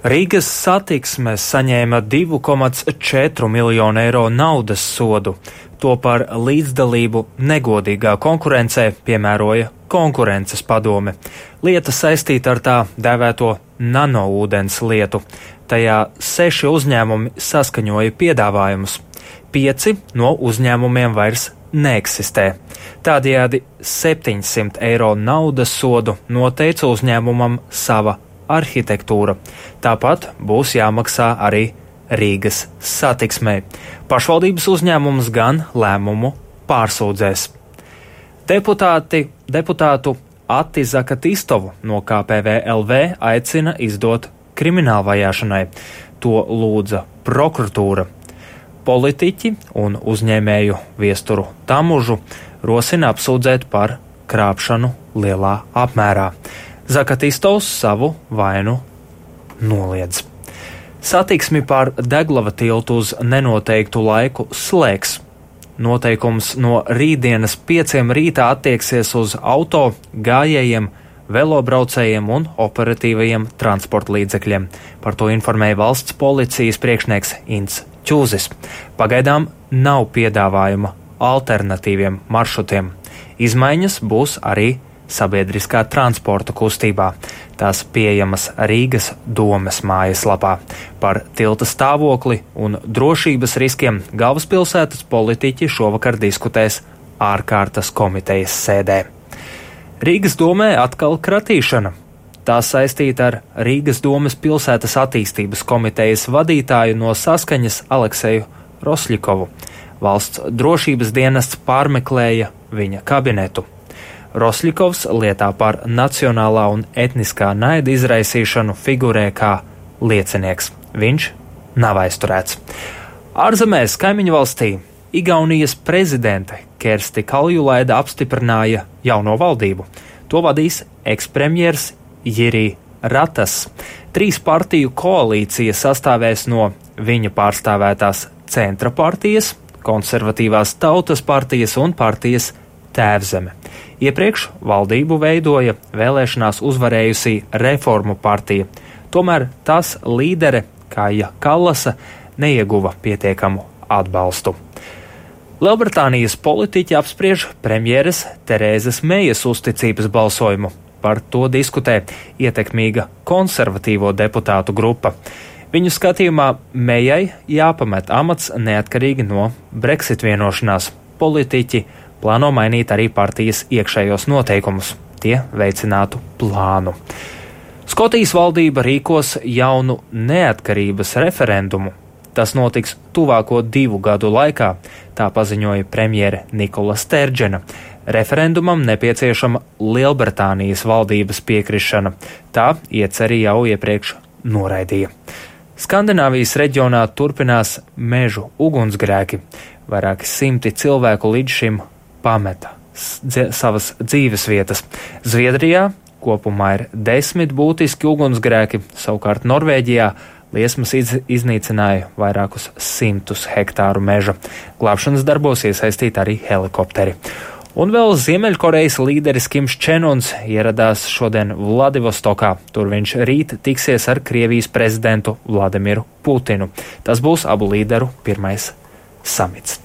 Rīgas satiksme saņēma 2,4 miljonu eiro naudas sodu. To par līdzdalību negodīgā konkurencē piemēroja konkurences padome. Lieta saistīta ar tā dēvēto nanoūdens lietu. Tajā 6 uzņēmumi saskaņoja piedāvājumus. 5 no uzņēmumiem vairs neeksistē. Tādējādi 700 eiro naudas sodu noteica uzņēmumam Sava arhitektūra. Tāpat būs jāmaksā arī Rīgas satiksmei. Pašvaldības uzņēmums gan lēmumu pārsūdzēs. Deputātu Ati Zakatistovu no KPVLV aicina izdot kriminālvajāšanai. To lūdza prokuratūra. Politiķi un uzņēmēju Viesturu Tamužu rosina apsūdzēt par krāpšanu lielā apmērā. Zakatistovs savu vainu noliedz. Satiksmi pār Deglava tiltu uz nenoteiktu laiku slēgs. Noteikums no rītdienas 5 rītā attieksies uz auto, gājējiem, velobraucējiem un operatīvajiem transporta līdzekļiem. Par to informēja valsts policijas priekšnieks Ints Čūzis. Pagaidām nav piedāvājuma alternatīviem maršrutiem. Izmaiņas būs arī sabiedriskā transporta kustībā. Tās pieejamas Rīgas domes mājaslapā. Par tilta stāvokli un drošības riskiem galvaspilsētas politiķi šovakar diskutēs ārkārtas komitejas sēdē. Rīgas domē atkal kratīšana. Tā saistīta ar Rīgas domes pilsētas attīstības komitejas vadītāju no Saskaņas Alekseju Rosļikovu. Valsts drošības dienests pārmeklēja viņa kabinetu. Rosļikovs lietā par nacionālā un etniskā naida izraisīšanu figurē kā liecinieks. Viņš nav aizturēts. Ārzemēs kaimiņu valstī Igaunijas prezidente Kersti Kaljulaida apstiprināja jauno valdību. To vadīs ekspremjers Jiri Ratas. 3 partiju koalīcija sastāvēs no viņa pārstāvētās Centra partijas, Konservatīvās tautas partijas un partijas Tēvzeme. Iepriekš valdību veidoja vēlēšanās uzvarējusī Reformu partija. Tomēr tās līdere Kaja Kallasa neieguva pietiekamu atbalstu. Lielbritānijas politiķi apspriež premjeres Terēzes Mejas uzticības balsojumu. Par to diskutē ietekmīga konservatīvo deputātu grupa. Viņu skatījumā Mejai jāpamet amats neatkarīgi no Brexit vienošanās. Politiķi plāno mainīt arī partijas iekšējos noteikumus. Tie veicinātu plānu. Skotijas valdība rīkos jaunu neatkarības referendumu. Tas notiks tuvāko 2 gadu laikā, tā paziņoja premjere Nikola Sterdžena. Referendumam nepieciešama Lielbritānijas valdības piekrišana. Tā ieceri jau iepriekš noraidīja. Skandināvijas reģionā turpinās mežu ugunsgrēki. Vairāki simti cilvēku līdz šim pameta savas dzīves vietas. Zviedrijā kopumā ir 10 būtiski ugunsgrēki, savukārt Norvēģijā liesmas iznīcināja vairākus 100 hektāru meža. Glābšanas darbos iesaistīti arī helikopteri. Un vēl Ziemeļkorejas līderis Kims Čenuns ieradās šodien Vladivostokā. Tur viņš rīt tiksies ar Krievijas prezidentu Vladimiru Putinu. Tas būs abu līderu pirmais samits.